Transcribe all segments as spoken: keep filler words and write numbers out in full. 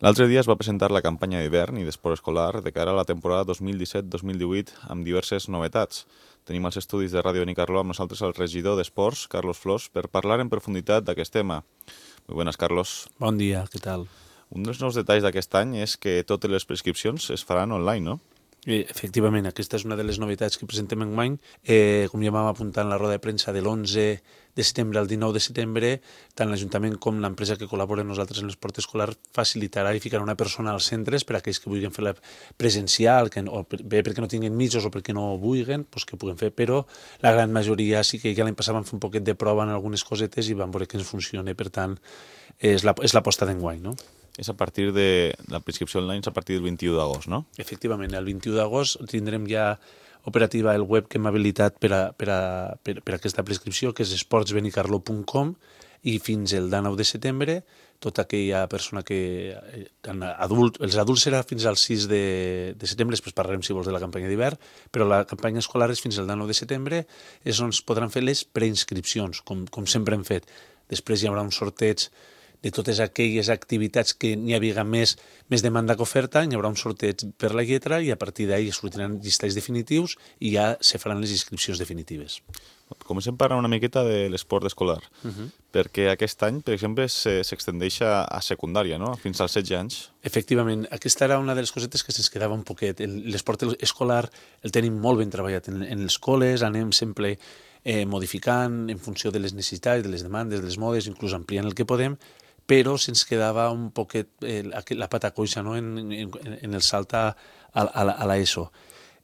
L'altre dia es va presentar la campanya d'hivern i d'esport escolar de cara a la temporada dos mil disset dos mil divuit amb diverses novetats. Tenim als estudis de Ràdio Benicarló amb nosaltres el regidor d'Esports, Carlos Flors, per parlar en profunditat d'aquest tema. Muy buenas, Carlos. Bon dia, què tal? Un dels nous detalls d'aquest any és que totes les prescripcions es faran online, no? Eh, efectivament, aquesta és una de les novetats que presentem enguany. Eh, com ja vam apuntar en la roda de premsa de l'onze de setembre al dinou de setembre, tant l'Ajuntament com l'empresa que col·labora amb nosaltres en l'esport escolar facilitarà i ficarà una persona als centres per a aquells que vulguin fer-la presencial, que, o bé perquè no tinguin mitjos o perquè no vulguin, doncs que puguen fer, però la gran majoria sí que ja l'any passat vam fer un poquet de prova en algunes cosetes i vam veure que ens funciona, per tant, és la, és l'aposta d'enguany, no? És a partir de la prescripció online, és a partir del vint-i-u d'agost, no? Efectivament, el vint-i-u d'agost tindrem ja operativa el web que hem habilitat per a, per a, per, per a aquesta prescripció, que és esports benicarló punt com, i fins el dinou de setembre, tota aquella persona que... Adult, els adults serà fins al sis de, de setembre, després parlarem, si vols, de la campanya d'hivern, però la campanya escolar és fins al dinou de setembre, és on es podran fer les preinscripcions, com, com sempre hem fet. Després hi haurà un sorteig de totes aquelles activitats que n'hi havia més, més demanda que oferta, hi haurà un sorteig per la lletra i a partir d'ahí es sortiran llistats definitius i ja se faran les inscripcions definitives. Comencem parlant una miqueta de l'esport escolar, uh -huh. perquè aquest any, per exemple, s'extendeix a, a secundària, no? Fins als setze anys. Efectivament, aquesta era una de les cosetes que se'ns quedava un poquet. L'esport escolar el tenim molt ben treballat en, en les escoles, anem sempre eh, modificant en funció de les necessitats, de les demandes, de les modes, inclús ampliant el que podem, però se'ns quedava un poquet eh, la pata coixa, no? en, en, en el salt a, a, a l'ESO.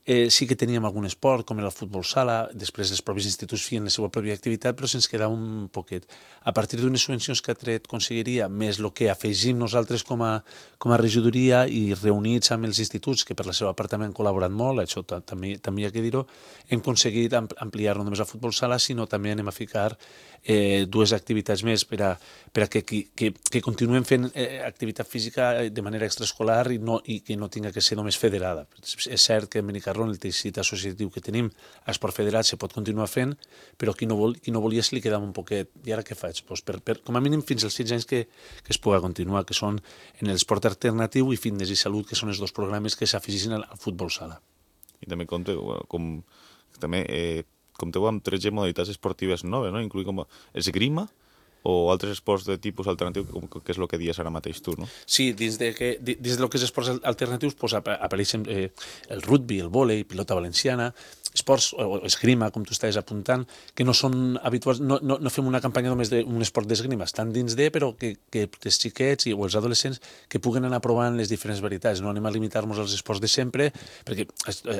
Eh, sí que teníem algun esport, com era el futbol sala, després els propis instituts feien la seva pròpia activitat, però se'ns quedava un poquet. A partir d'unes subvencions que ha tret Conselleria, més el que afegim nosaltres com a, com a regidoria i reunits amb els instituts, que per la seva part també han col·laborat molt, això també, també hi ha que dir-ho, hem aconseguit ampliar no només el futbol sala, sinó també anem a ficar eh, dues activitats més per a, per a que, que, que, que continuem fent eh, activitat física de manera extraescolar i, no, i que no tinga que ser només federada. És cert que en Benicarló, en el teixit associatiu que tenim, esport federat se pot continuar fent, però qui no, vol, qui no volia se li quedava un poquet. I ara què faig? Pues per, per, com a mínim fins als setze anys que, que es pugui continuar, que són en l'esport alternatiu i fitness i salut, que són els dos programes que s'afegissin al, al futbol sala. I també compte, com, també, eh, compteu amb tretze modalitats esportives noves, no? Inclui com esgrima o altres esports de tipus alternatiu, que és el que dies ara mateix tu, no? Sí, dins de que, dins del que és esports alternatius pues, apareixen eh, el rugby, el vòlei, pilota valenciana, esports o esgrima, com tu estàs apuntant, que no són habituals, no, no, no fem una campanya només d'un esport d'esgrima, estan dins de, però que, que els xiquets i, o els adolescents que puguen anar provant les diferents varietats, no anem a limitar-nos als esports de sempre, perquè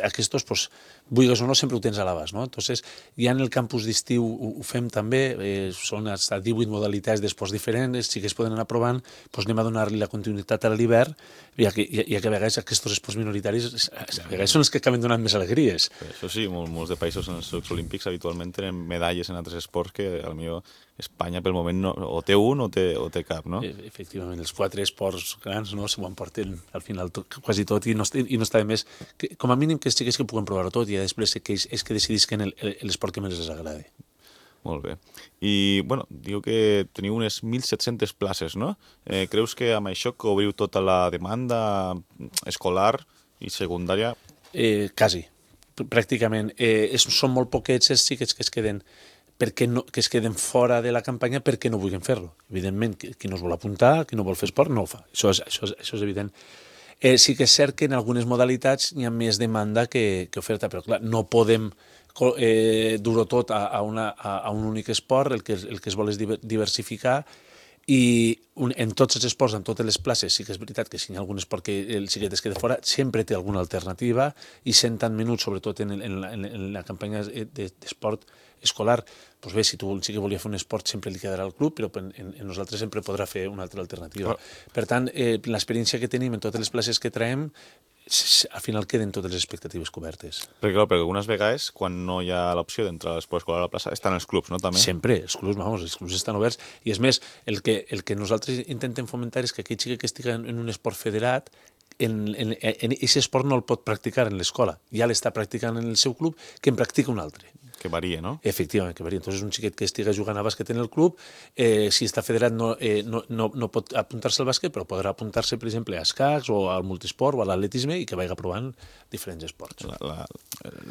aquests, pues, vulguis o no, sempre ho tens a l'abast, no? Entonces, ja en el campus d'estiu ho, ho fem també, eh, són hasta divuit modalitats d'esports diferents, els xiquets poden anar provant, doncs anem a donar-li la continuïtat a l'hivern, ja que, ja que a vegades aquests esports minoritaris a vegades són els que acaben donant més alegries. Això sí, molts, molts de països en els Jocs Olímpics habitualment tenen medalles en altres esports que potser Espanya pel moment no, o té un o té, o té cap, no? Efectivament, els quatre esports grans no s'ho emporten al final tot, quasi tot i no, i no està de més, que, com a mínim que els xiquets que puguen provar-ho tot i després que és, és que decidisquen l'esport que més els agrada. Molt bé. I, bueno, diu que teniu unes mil set-centes places, no? Eh, creus que amb això cobriu tota la demanda escolar i secundària? Eh, quasi, pràcticament. Eh, és, són molt poquets els xiquets que es queden perquè no, que es queden fora de la campanya perquè no vulguin fer-lo. Evidentment, qui no es vol apuntar, qui no vol fer esport, no ho fa. Això és, això és, això és evident. Eh, sí que és cert que en algunes modalitats hi ha més demanda que, que oferta, però clar, no podem eh, dur-ho tot a, a, una, a, a un únic esport, el que, el que es vol és diversificar, i un, en tots els esports, en totes les places, sí que és veritat que si hi ha algun esport que el xiquet es queda fora, sempre té alguna alternativa, i sent tant menut, sobretot en, en, la, en la campanya d'esport escolar, doncs bé, si tu el xiquet volia fer un esport sempre li quedarà al club, però en, en, en nosaltres sempre podrà fer una altra alternativa. Oh. Per tant, eh, l'experiència que tenim en totes les places que traiem, al final queden totes les expectatives cobertes. Perquè, clar, perquè algunes vegades, quan no hi ha l'opció d'entrar a l'esport escolar a la plaça, estan els clubs, no, també? Sempre, els clubs, vamos, els clubs estan oberts, i és més, el que, el que nosaltres intentem fomentar és que aquell xiquet que estigui en un esport federat, en, en, en aquest esport no el pot practicar en l'escola, ja l'està practicant en el seu club, que en practica un altre. Que varia, no? Efectivament, que varia. Entonces, un xiquet que estiga jugant a bàsquet en el club, eh, si està federat no, eh, no, no, no pot apuntar-se al bàsquet, però podrà apuntar-se, per exemple, a escacs o al multisport o a l'atletisme i que vagi provant diferents esports.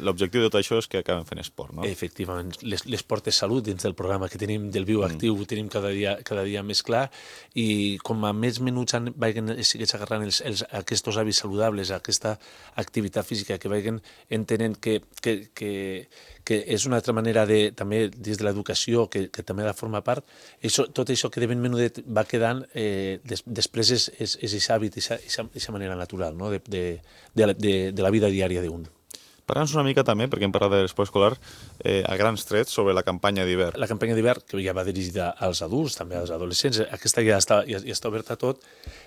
L'objectiu de tot això és que acaben fent esport, no? Efectivament. L'esport és salut dins del programa que tenim del Viu Actiu, mm. ho tenim cada dia, cada dia més clar, i com a més menuts vagin sigues agarrant els, els, aquests hàbits saludables, aquesta activitat física, que vagin entenent que, que, que, que és una altra manera de, també dins de l'educació, que, que també ha de formar part, això, tot això que de ben menudet va quedant, eh, des, després és, és, és aquest hàbit, aquesta manera natural, no? de, de, de, de, de la vida diària d'un. Parla'ns una mica també, perquè hem parlat de l'esport escolar, eh, a grans trets sobre la campanya d'hivern. La campanya d'hivern, que ja va dirigida als adults, també als adolescents, aquesta ja està, ja, ja està oberta a tot.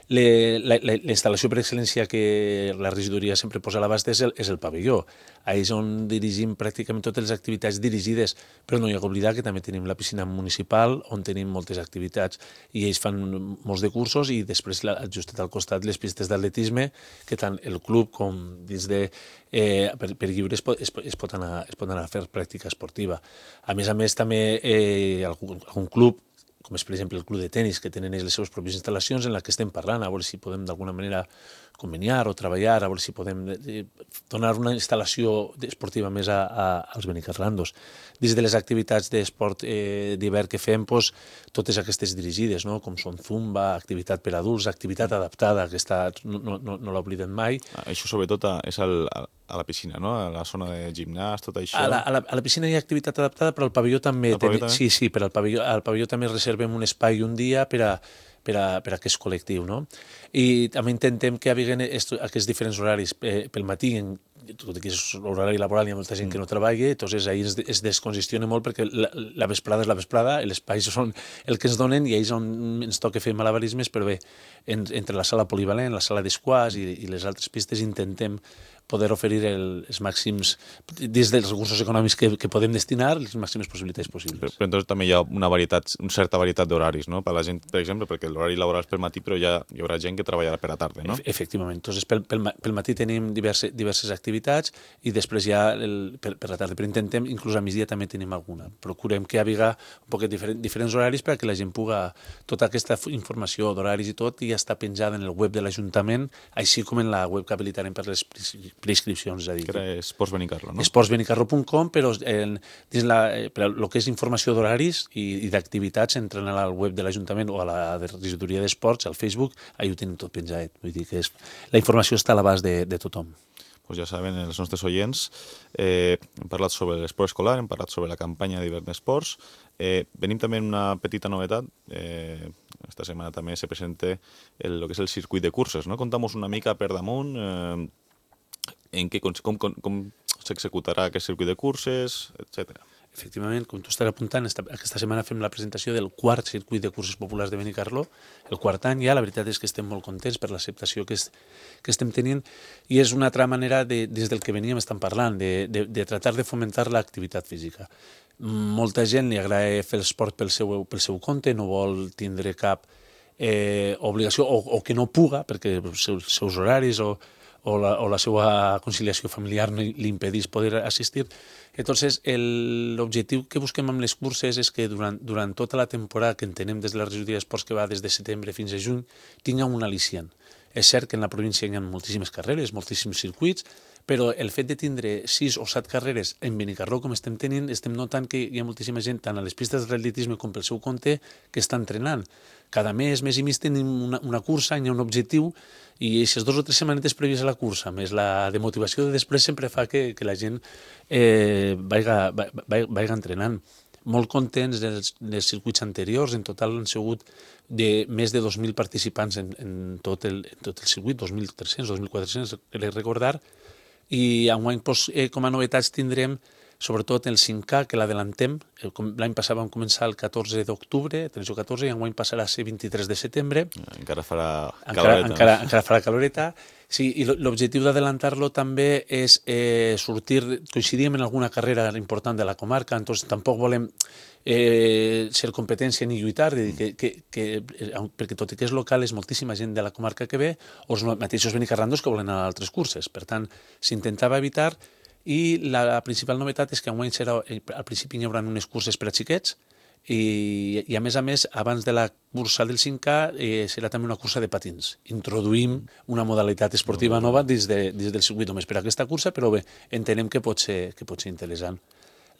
Le, la, la, la instal·lació per excel·lència que la regidoria sempre posa a l'abast és, el, és el pavelló. Ahí és on dirigim pràcticament totes les activitats dirigides, però no hi ha d'oblidar que també tenim la piscina municipal, on tenim moltes activitats, i ells fan molts de cursos, i després justet al costat les pistes d'atletisme, que tant el club com dins de... Eh, per, per lliure es pot, es, es, pot anar, es pot anar a fer pràctica esportiva. A més a més, també eh, algun, algun club, com és per exemple el club de tenis, que tenen les seves pròpies instal·lacions en la que estem parlant, a veure si podem d'alguna manera conveniar o treballar, a veure si podem eh, donar una instal·lació esportiva més a, a, als benicarlandos. Dins de les activitats d'esport eh, d'hivern que fem, pues, totes aquestes dirigides, no? Com són zumba, activitat per adults, activitat adaptada, que està, no, no, no l'oblidem mai. Això sobretot és al, a la piscina, no? A la zona de gimnàs, tot això. A la, a la, a la piscina hi ha activitat adaptada, però al pavelló també. Al pavelló ten... també? Sí, sí, però al pavelló, al pavelló també reservem un espai un dia per a, per a, per a aquest col·lectiu, no? I també intentem que hi hagi aquests diferents horaris. Eh, pel matí, en, tot i que és l'horari laboral, hi ha molta gent que no treballa, entonces ahir es, es descongestiona molt perquè la, la vesprada és la vesprada, els espais són el que ens donen i ahir és on ens toca fer malabarismes, però bé, en, entre la sala polivalent, la sala d'esquàs i, i les altres pistes intentem poder oferir el, els màxims, dins dels recursos econòmics que, que podem destinar, les màximes possibilitats possibles. Però, però entonces també hi ha una varietat, una certa varietat d'horaris, no? Per la gent, per exemple, perquè l'horari laboral és pel matí, però ja hi haurà gent que treballarà per la tarda, no? Efectivament. Entonces, pel, pel, pel matí tenim diverses, diverses activitats i després ja el, per, per la tarda. Però intentem, inclús a migdia també tenim alguna. Procurem que hi hagi un poquet diferent, diferents horaris perquè la gent puga... Tota aquesta informació d'horaris i tot ja està penjada en el web de l'Ajuntament, així com en la web que habilitarem per les preinscripcions. És a dir, que era Esports Benicarlo, no? esports benicarlo punt com, però en, dins la, per el que és informació d'horaris i, i d'activitats entren al web de l'Ajuntament o a la regidoria d'esports, al Facebook, ahí ho tenen tot penjat. Vull dir que és, la informació està a l'abast de, de tothom. Pues ja saben els nostres oients, eh, hem parlat sobre l'esport escolar, hem parlat sobre la campanya d'hivern d'esports, eh, venim també amb una petita novetat, eh, esta setmana també se presenta el, el que és el circuit de curses, no? Contamos una mica per damunt eh, en què, com, com, com s'executarà aquest circuit de curses, etcètera. Efectivament, com tu estàs apuntant, esta, aquesta setmana fem la presentació del quart circuit de curses populars de Benicarló, el quart any ja, la veritat és que estem molt contents per l'acceptació que, es, que estem tenint i és una altra manera, de, des del que veníem estan parlant, de, de, de tratar de fomentar l'activitat física. Molta gent li agrada fer l'esport pel seu, pel seu compte, no vol tindre cap eh, obligació o, o que no puga perquè els seus, seus horaris o o la, o la seva conciliació familiar no li impedís poder assistir. Entonces, l'objectiu que busquem amb les curses és que durant, durant tota la temporada que entenem des de la regidoria d'esports que va des de setembre fins a juny, tinga un al·licient. És cert que en la província hi ha moltíssimes carreres, moltíssims circuits, però el fet de tindre sis o set carreres en Benicarló, com estem tenint, estem notant que hi ha moltíssima gent, tant a les pistes d'atletisme com pel seu compte, que està entrenant. Cada mes, mes i mig, tenim una, una cursa, hi ha un objectiu, i aquestes dues o tres setmanetes prèvies a la cursa, més la demotivació de després sempre fa que, que la gent eh, vaiga, vaiga, vaiga entrenant. Molt contents dels, dels circuits anteriors, en total han sigut de més de dos mil participants en, en, tot, el, en tot el circuit, dos mil tres-cents, dos mil quatre-cents, crec recordar, i enguany doncs, eh, com a novetats tindrem sobretot el cinc K, que l'adelantem. L'any passat vam començar el catorze d'octubre, tretze o catorze, i enguany passarà a ser vint-i-tres de setembre. Encara farà caloreta. Encara, encara, encara farà caloreta. Sí, i l'objectiu d'adelantar-lo també és eh, sortir, coincidim en alguna carrera important de la comarca, entonces tampoc volem eh, ser competència ni lluitar, de dir que, que, que, perquè tot i que és local és moltíssima gent de la comarca que ve, o els mateixos benicarlandos que volen anar a altres curses. Per tant, s'intentava evitar i la principal novetat és que enguany serà, al principi hi haurà unes curses per a xiquets i, i a més a més, abans de la cursa del cinc K eh, serà també una cursa de patins. Introduïm una modalitat esportiva nova dins, de, dins del circuit només per a aquesta cursa, però bé, entenem que pot ser, que pot ser interessant.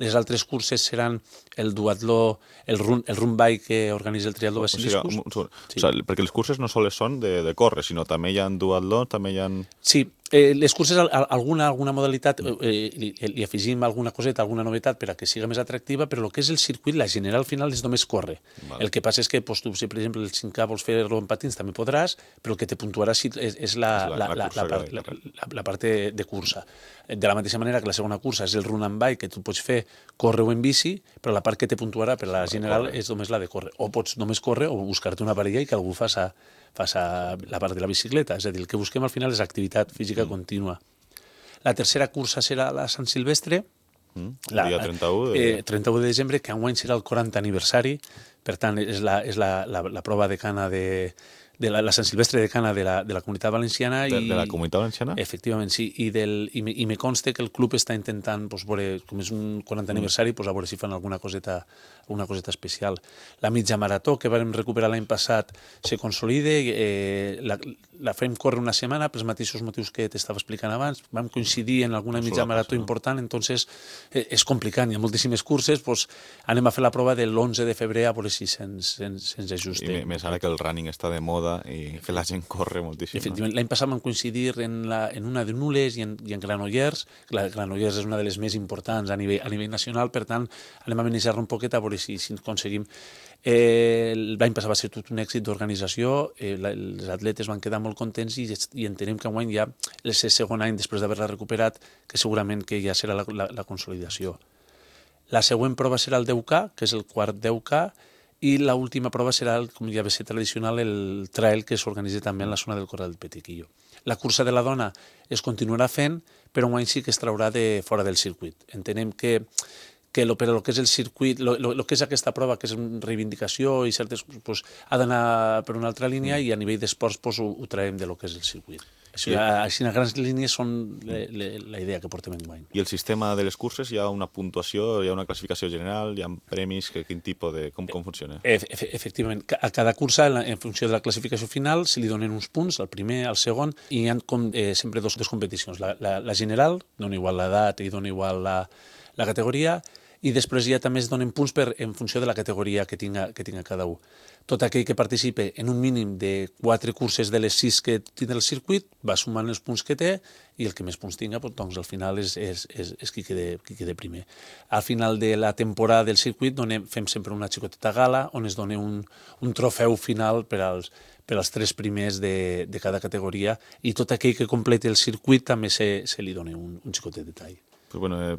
Les altres curses seran el duatló, el run, el run bike que organitza el triatló Basiliscus. O sigui, sí. O sigui, perquè les curses no sols són de, de córrer, sinó també hi ha duatló, també hi ha... Sí, eh, les curses, alguna, alguna modalitat, eh, li, li afegim alguna coseta, alguna novetat per a que siga més atractiva, però el que és el circuit, la general al final és només córrer. Vale. El que passa és que, pues, tu, si per exemple el cinc K vols fer-lo en patins, també podràs, però el que te puntuarà és, és la, la, la, la, la, la, la, la, la part de, de cursa. De la mateixa manera que la segona cursa és el run and bike, que tu pots fer córrer o en bici, però la part que te puntuarà per la general és només la de córrer. O pots només córrer o buscar-te una parella i que algú faci, faci la part de la bicicleta. És a dir, el que busquem al final és activitat física mm. contínua. La tercera cursa serà la Sant Silvestre, mm. el dia trenta-u de... Eh, trenta-u de desembre, que enguany serà el quaranta aniversari, per tant és la, és la, la, la prova de cana de... de la, la Sant Silvestre de Cana de la, de la Comunitat Valenciana. De, I, de la Comunitat Valenciana? Efectivament, sí. I, del, i, me, i me consta que el club està intentant, pues, veure, com és un quaranta aniversari, pues, a veure si fan alguna coseta, alguna coseta especial. La mitja marató que vam recuperar l'any passat se consolida, eh, la, la fem córrer una setmana pels mateixos motius que t'estava explicant abans. Vam coincidir en alguna mitja marató no? important, entonces eh, és complicat, hi ha moltíssimes curses, pues, anem a fer la prova de l'onze de febrer a veure si se'ns se se ajusta. I més ara que el running està de moda i que la gent corre moltíssim. Efectivament, l'any passat vam coincidir en, la, en una de Nules i en, i en Granollers. La Granollers és una de les més importants a nivell, a nivell nacional, per tant, anem a benejar-lo un poquet a veure si, si aconseguim. Eh, l'any passat va ser tot un èxit d'organització, eh, la, els atletes van quedar molt contents i, i entenem que enguany ja el segon any, després d'haver-la recuperat, que segurament que ja serà la, la, la consolidació. La següent prova serà el deu K, que és el quart deu K, i l'última prova serà, com ja va ser tradicional, el trail que s'organitza també en la zona del Corral del Petequillo. La cursa de la dona es continuarà fent, però enguany sí que es traurà de fora del circuit. Entenem que, que lo, per a lo que és el circuit, lo, lo, lo que és aquesta prova, que és reivindicació i certes, pues, ha d'anar per una altra línia, i a nivell d'esports pues, ho, ho traiem de lo que és el circuit. Així, així, en grans línies són le, le, la idea que portem enguany. I el sistema de les curses, hi ha una puntuació, hi ha una classificació general, hi ha premis, que, quin tipus de... Com, com funciona? E efectivament, a cada cursa, en funció de la classificació final, se li donen uns punts, al primer, al segon, i hi ha com, eh, sempre dos, dos competicions. La, la, la general, dona igual l'edat i dona igual la, la categoria, i després ja també es donen punts per, en funció de la categoria que tinga, que tinga cada un. Tot aquell que participe en un mínim de quatre curses de les sis que tindrà el circuit va sumant els punts que té, i el que més punts tinga, doncs al final és, és, és, és qui, quede, qui quede primer. Al final de la temporada del circuit donem, fem sempre una xicoteta gala on es dona un, un trofeu final per als, per als tres primers de, de cada categoria, i tot aquell que completi el circuit també se, se li dona un, un xicotet detall. Pues bueno, eh,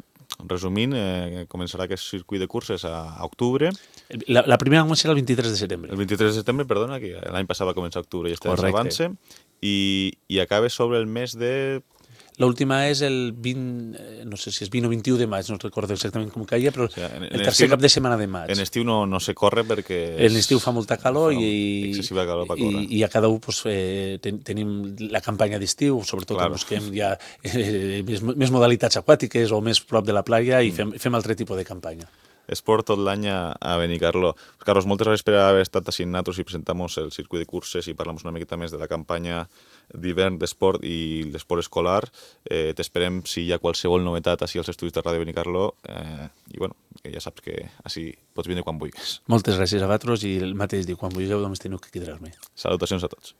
resumint, eh, començarà aquest circuit de curses a, a octubre. La, la primera serà el vint-i-tres de setembre. El vint-i-tres de setembre, perdona, que l'any passat va començar a octubre i este avança, i, i acaba sobre el mes de... L'última és el vint, no sé si és vint o vint-i-u de maig, no recordo exactament com caia, però o sigui, en, en el tercer estiu, cap de setmana de maig. En estiu no, no se corre perquè... En estiu fa molta calor fa i, excessiva calor per córrer. I, i a cada un pues, eh, ten, tenim la campanya d'estiu, sobretot claro. Que busquem ja eh, més, més modalitats aquàtiques o més prop de la playa i fem, fem altre tipus de campanya. Esport tot l'any a, a Benicarló. Carlos, moltes gràcies per haver estat així nosaltres i presentamos el circuit de curses i parlem una miqueta més de la campanya d'hivern d'esport i l'esport escolar. Eh, T'esperem si hi ha qualsevol novetat així als estudis de Ràdio Benicarló. Eh, I bueno, que ja saps que així pots vindre quan vulguis. Moltes gràcies a vosaltres i el mateix dic, quan vulgueu només teniu que quedar-me. Salutacions a tots.